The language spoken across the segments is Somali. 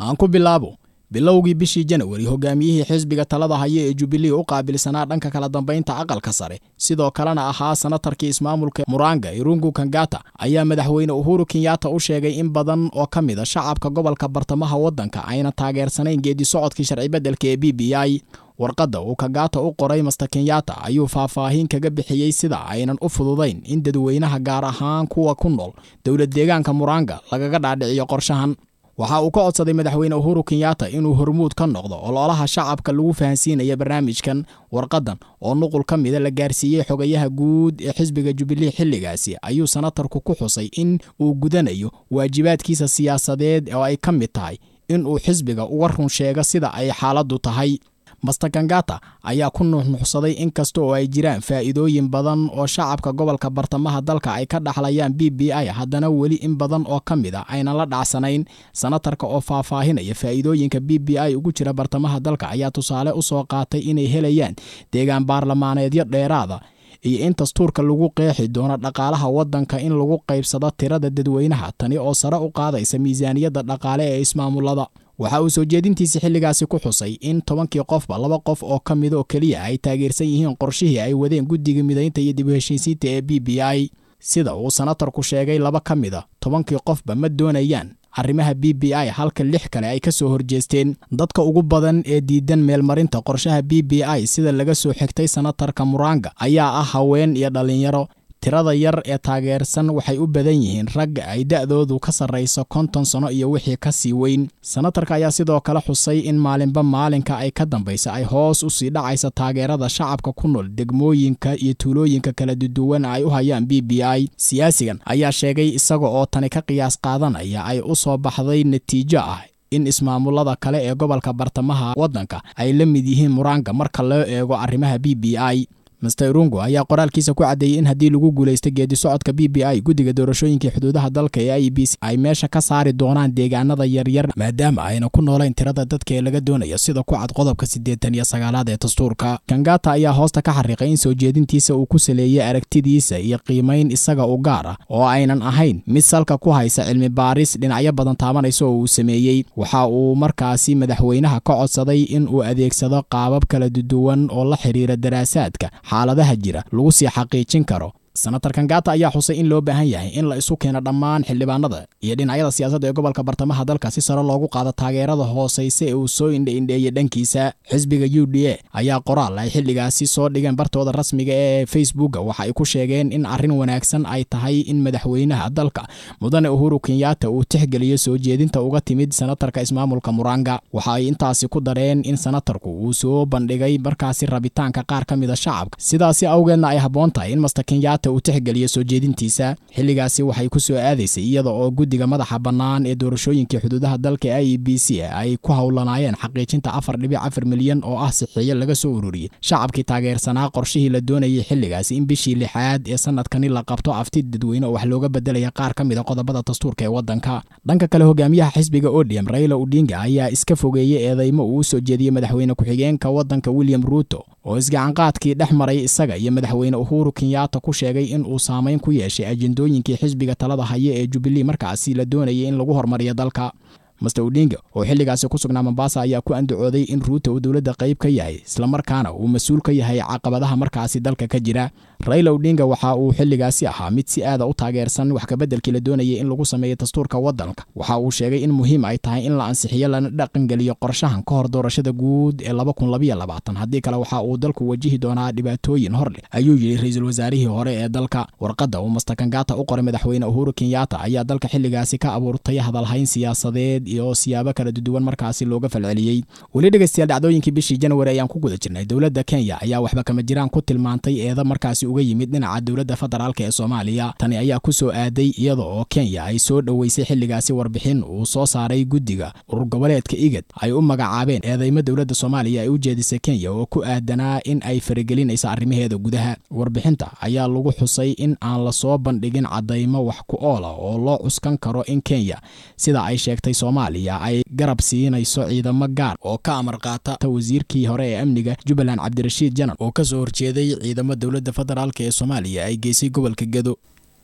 Aan ku bilaabo bilowgii bishii Janawari, hogaamiyihii xisbiga talada haya ee Jubilee u qaabilsanaa dhanka kala dambeynta aqalka sare, sidoo kalena ahaa sanatarkii ismaamulka Muranga, Irungu Kangata, ayaa madaxweyne Uhuru Kenyatta u sheegay in badan oo ka mid a shacabka gobolka bartamaha waddanka ayna taageersanayn geedi socodkii sharci beddelka ee BBI. Warqadda uu Kangata u qoray Master Kenyatta ayuu faahfaahin kaga bixiyey sida aynan u fududayn in dadweynaha, gaar ahaan kuwa ku nool dowlad deegaanka Muranga, lagaga dhaadhiciyo qorshahan. Waxa uu ka codsaday madaxweyne Uhuru Kenyatta inuu hormuud ka noqdo ololaha shacabka lagu fahansiinaya barnaamijkan. Warqadan oo nuqul ka mida la gaarsiiyey xogayaha guud ee xisbiga Jubilee xilligaasi ayuu sanatarku ku xusay in uu gudanayo waajibaadkiisa siyaasadeed oo ay ka mid tahay in uu xisbiga uga run sheego sida ay xaaladdu tahay. Master Kangata ayaa ku nuuxnuuxsaday in kasta oo ay jiraan faa'iidooyin badan oo shacabka gobolka bartamaha dalka ay ka dhaxlayaan BBI, haddana weli in badan oo ka mid a aynan la dhacsanayn. Sanatarka oo faahfaahinaya faa'iidooyinka BBI ugu jira bartamaha dalka ayaa tusaale u soo qaatay inay helayaan deegaan baarlamaaneedyo dheeraada iyo in dastuurka lagu qeexi doono dhaqaalaha waddanka in lagu qaybsado tirada dadweynaha, tani oo sare u qaadaysa miisaaniyadda dhaqaale ee ismaamulada. Waxa uu soo jeedintiisa xilligaasi ku xusay in 10kii qofba 2 qof oo ka mid oo keliya ay taageersan yihiin qorshihii ay wadeen guddiga midaynta iyo dib u heshiisiinta ee BBI. Sida uu sanatarku sheegay, 2 ka mid a 10kii qofba ma doonayaan arrimaha BBI, halka 6 kale ay ka soo horjeesteen. Dadka ugu badan ee diidan meelmarinta qorshaha BBI, sida laga soo xigtay sanatarka Muranga, ayaa ah haween iyo dhallinyaro. Tirada yar ee taageersan waxay u badan yihiin rag ay da'doodu ka sarrayso 50 sano iyo wixii ka sii weyn. Sanatarka ayaa sidoo kale xusay in maalinba maalinka ay ka dambaysa ay hoos u sii dhacaysa taageerada shacabka ku nool degmooyinka iyo tuulooyinka kala duwan ay u hayaan BBI. Siyaasigan ayaa sheegay isaga oo tani ka qiyaas qaadanaya ay u soo baxday natiijo ah in ismaamulada kale ee gobolka bartamaha waddanka ay la mid yihiin Muranga marka loo eego arrimaha BBI. Master Irungu ayaa qoraalkiisa ku caddeeyey in haddii lagu guulaysto geedi socodka BBI, guddiga doorashooyinka xuduudaha dalka ee IEBC ay meesha ka saari doonaan deegaanada yaryar, maadaama ayna ku noolayn tirada dadka ee laga doonayo sida ku cad qodobka 89aad ee dastuurka. Kangata ayaa hoosta ka xariiqay in soo jeedintiisa uu ku saleeyey aragtidiisa iyo qiimayn isaga u gaar ah oo aynan ahayn mid salka ku haysa cilmi baaris dhinacyo badan taabanaysa oo uu sameeyey. Waxa uu markaasi madaxweynaha ka codsaday in uu adeegsado qaabab kala duwan oo la xiriira daraasaadka xaaladaha jira lagu sii xaqiijin karo. Senator Kangata ayaa xusay in loo baahan yahay in la isu keeno dhammaan xildhibaanada iyo dhinacyada siyaasadda ee gobolka bartamaha dalka si sare loogu qaado taageerada hooseysa ee uu soo indhe-indheeyey dhankiisa. Xisbiga UDA ayaa qoraal ay xilligaasi soo dhigeen bartooda rasmiga ee Facebooka waxa ay ku sheegeen in arrin wanaagsan ay tahay in madaxweynaha dalka mudane Uhuru Kenyatta uu tixgeliyo soo jeedinta uga timid senatarka ismaamulka Muranga. Waxa ay intaasi ku dareen in senatarku uu soo bandhigay markaasi rabitaanka qaar ka mid a shacabka, sidaasi awgeedna ay habboon tahay in Master Kenyatta uu tixgeliyo soo jeedintiisa. Xilligaasi waxay ku soo aadaysay iyada oo guddiga madaxa bannaan ee doorashooyinkii xuduudaha dalka IEBC ay ku howlanaayeen xaqiijinta 4.4 milyan oo ah sixiyo laga soo ururiyey shacabkii taageersanaa qorshihii la doonayay xilligaasi in bishii lixaad ee sanadkani la qabto afti dadweyne oo wax looga bedelaya qaar ka mid a qodobada dastuurka ee waddanka. Dhanka kale, hogaamiyaha xisbiga ODM Raila Odinga ayaa iska fogeeyey eedeymo uu u soo jeediyey madaxweyne ku-xigeenka waddanka William Ruto, oo isgacanqaadkii dhex maray isaga iyo madaxweyne Uhuru Kenyatta ku sheegay in uu saameyn ku yeeshay ajendooyinkii xisbiga talada haya ee Jubilee markaasi la doonayay in lagu horumariyo dalka. Master Odinga oo xilligaasi ku sugnaa Mombasa ayaa ku andacooday in Ruto uu dowladda qayb ka yahay, islamarkaana uu mas-uul ka yahay caqabadaha markaasi dalka ka jira. Raila Odinga waxa uu xilligaasi ahaa mid si aada u taageersan wax kabeddelkii la doonayay in lagu sameeyo dastuurka waddanka. Waxa uu sheegay in muhiim ay tahay in la ansixiyo lana dhaqangeliyo qorshahan ka hor doorashada guud ee 2022, haddii kale waxa uu dalku wajihi doonaa dhibaatooyin hor leh, ayuu yidhi ra-iisul wasaarihii hore ee dalka. Warqadda uu Master Kangata u qoray madaxweyne Uhuru Kenyatta ayaa dalka xilligaasi ka abuurtay hadalhayn siyaasadeed iyo siyaabo kala duwan markaasi looga falceliyey. Weli dhegeystayaal, dhacdooyinkii bishii January ayaan ku guda jirnay. Dowladda Kenya ayaa waxba kama jiraan ku tilmaantay eeda markaasi uga yimid dhinaca dowladda federaalka ee Soomaaliya. Tani ayaa ku soo aaday iyada oo Kenya ay soo dhoweysay xilligaasi warbixin uu soo saaray guddiga urur goboleedka IGAD ay u magacaabeen eedeymo dowladda Soomaaliya ay u jeedisay Kenya oo ku aadanaa in ay faragelinayso arrimaheeda gudaha. Warbixinta ayaa lagu xusay in aan lasoo bandhigin caddaymo wax ku ool ah oo loo cuskan karo in Kenya, sida ay sheegtay Soomaaliya, ay garab siinayso ciidamo gaar oo ka amar qaata wasiirkii hore ee amniga Jubbaland Cabdirashiid Janan oo kasoo horjeeday ciidamo dowladda federaalk ee Soomaaliya ay geysay gobolka Gedo.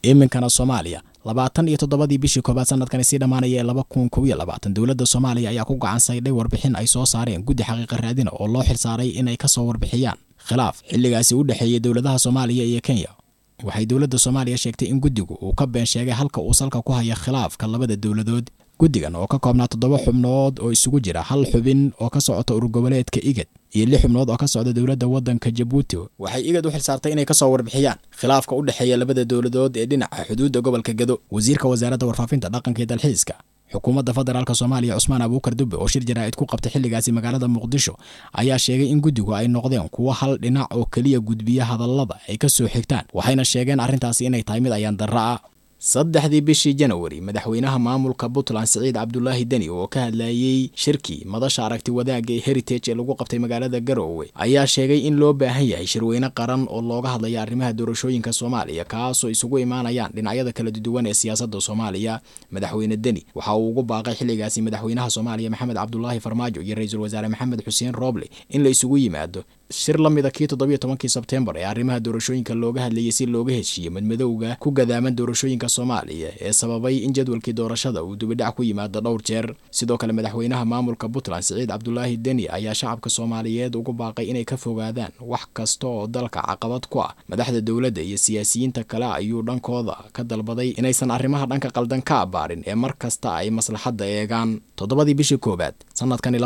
Iminkana Soomaaliya. 27dii bishii koobaad sanadkani sii dhammaanaya ee 2021, dowladda Soomaaliya ayaa ku gacan saydhay warbixin ay soo saareen guddi xaqiiqa raadina oo loo xilsaaray inay kasoo warbixiyaan khilaaf xilligaasi u dhexeeyey dowladaha Soomaaliya iyo Kenya. Waxay dowladda Soomaaliya sheegtay in guddigu uu ka been sheegay halka uu salka ku haya khilaafka labada dowladood. Guddigan oo ka koobnaa 7 xubnood oo isugu jira 1 xubin oo ka socota urur goboleedka IGAD iyo 6 xubnood oo ka socda dowladda waddanka Jabuuti, waxay IGAD u xilsaartay inay kasoo warbixiyaan khilaafka u dhexeeya labada dowladood ee dhinaca xuduudda gobolka Gado. Wasiirka wasaaradda warfaafinta, dhaqanka iyo dalxiiska xukuumadda federaalk Soomaaliya, Cusmaan Abuukar Dubbe, oo shir jaraa'id ku qabtay xilligaasi magaalada Muqdisho, ayaa sheegay in guddigu ay noqdeen kuwo hal dhinac oo keliya gudbiya hadallada ay ka soo xigtaan, waxayna sheegeen arrintaasi inay tahay mid ayaan darra ah. 3dii bishii Janawari, madaxweynaha maamulka Puntland Siciid Cabdulaahi Deni oo ka hadlayey shirkii madasha aragti wadaagga ee Heritage ee lagu qabtay magaalada Garoowe ayaa sheegay in loo baahan yahay shirweyne qaran oo looga hadlaya arrimaha doorashooyinka Soomaaliya, kaasoo isugu imaanayaan dhinacyada kala duwan ee siyaasadda Soomaaliya. Madaxweyne Deni waxa uu ugu baaqay xilligaasi madaxweynaha Soomaaliya Maxamed Cabdulaahi Farmaajo iyo ra-iisul wasaare Maxamed Xuseen Rooble in la isugu yimaado shir la mida kii 17kii Sebtembar ee arrimaha doorashooyinka looga hadlayay, si looga heshiiyo madmadowga ku gadaaman doorashooyinka Soomaaliya ee sababay in jadwalkii doorashada uu dibidhac ku yimaado dhowr jeer. Sidoo kale, madaxweynaha maamulka Puntland Siciid Cabdulaahi Deni ayaa shacabka Soomaaliyeed ugu baaqay inay ka fogaadaan wax kasta oo dalka caqabad ku ah. Madaxda dowladda iyo siyaasiyiinta kale ayuu dhankooda ka dalbaday inaysan arrimaha dhanka qaldan ka abaarin ee mar kasta ay maslaxadda eegaan. 7dii bishii koowaad sanadkani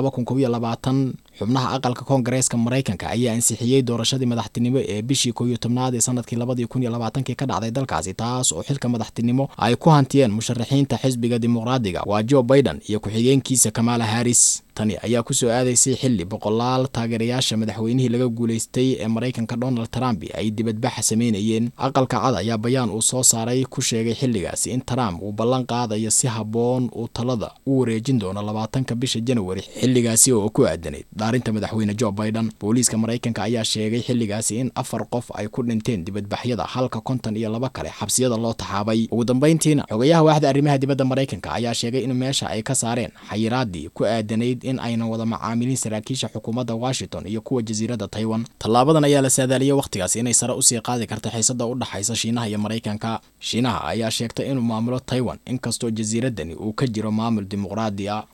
2021, xubnaha aqalka Koongareeska Maraykanka ayaa ansixiyey doorashadii madaxtinimo ee bishii 11aad ee sanadkii 2020kii ka dhacday dalkaasi, taas oo xilka madaxtinimo ay ku hantiyeen musharaxiinta xisbiga Dimuqraadiga, waa Joe Biden iyo ku-xigeenkiisa Kamala Harris. Tani ayaa kusoo aadaysay xilli boqolaal taageerayaasha madaxweynihii laga guulaystay ee Maraykanka Donald Trump ay dibadbaxa sameynayeen. Aqalka Cad ayaa bayaan uu soo saaray ku sheegay xilligaasi in Trump uu ballan qaadayo si habboon uu talada u wareejin doono 20ka bisha Janawari, xilligaasi oo ku aadanayd dhaarinta madaxweyne Joe Biden. Booliiska Maraykanka ayaa sheegay xilligaasi in 4 qof ay ku dhinteen dibadbaxyada, halka 52 kale xabsiyada loo taxaabay. Ugu dambeyntiina, xogayaha waaxda arrimaha dibadda Maraykanka ayaa sheegay in meesha ay ka saareen xayiraadii ku aadanayd in aynan wada macaamilin saraakiisha xukuumadda Washington iyo kuwa jasiiradda Taiwan. Tallaabadan ayaa la saadaaliyey wakhtigaas inay sare usii qaadi karta xiisadda u dhaxaysa Shiinaha iyo Maraykanka. Shiinaha ayaa sheegtay inuu maamulo Taiwan, inkastoo jasiiraddani uu ka jiro maamul dimuqraadi ah.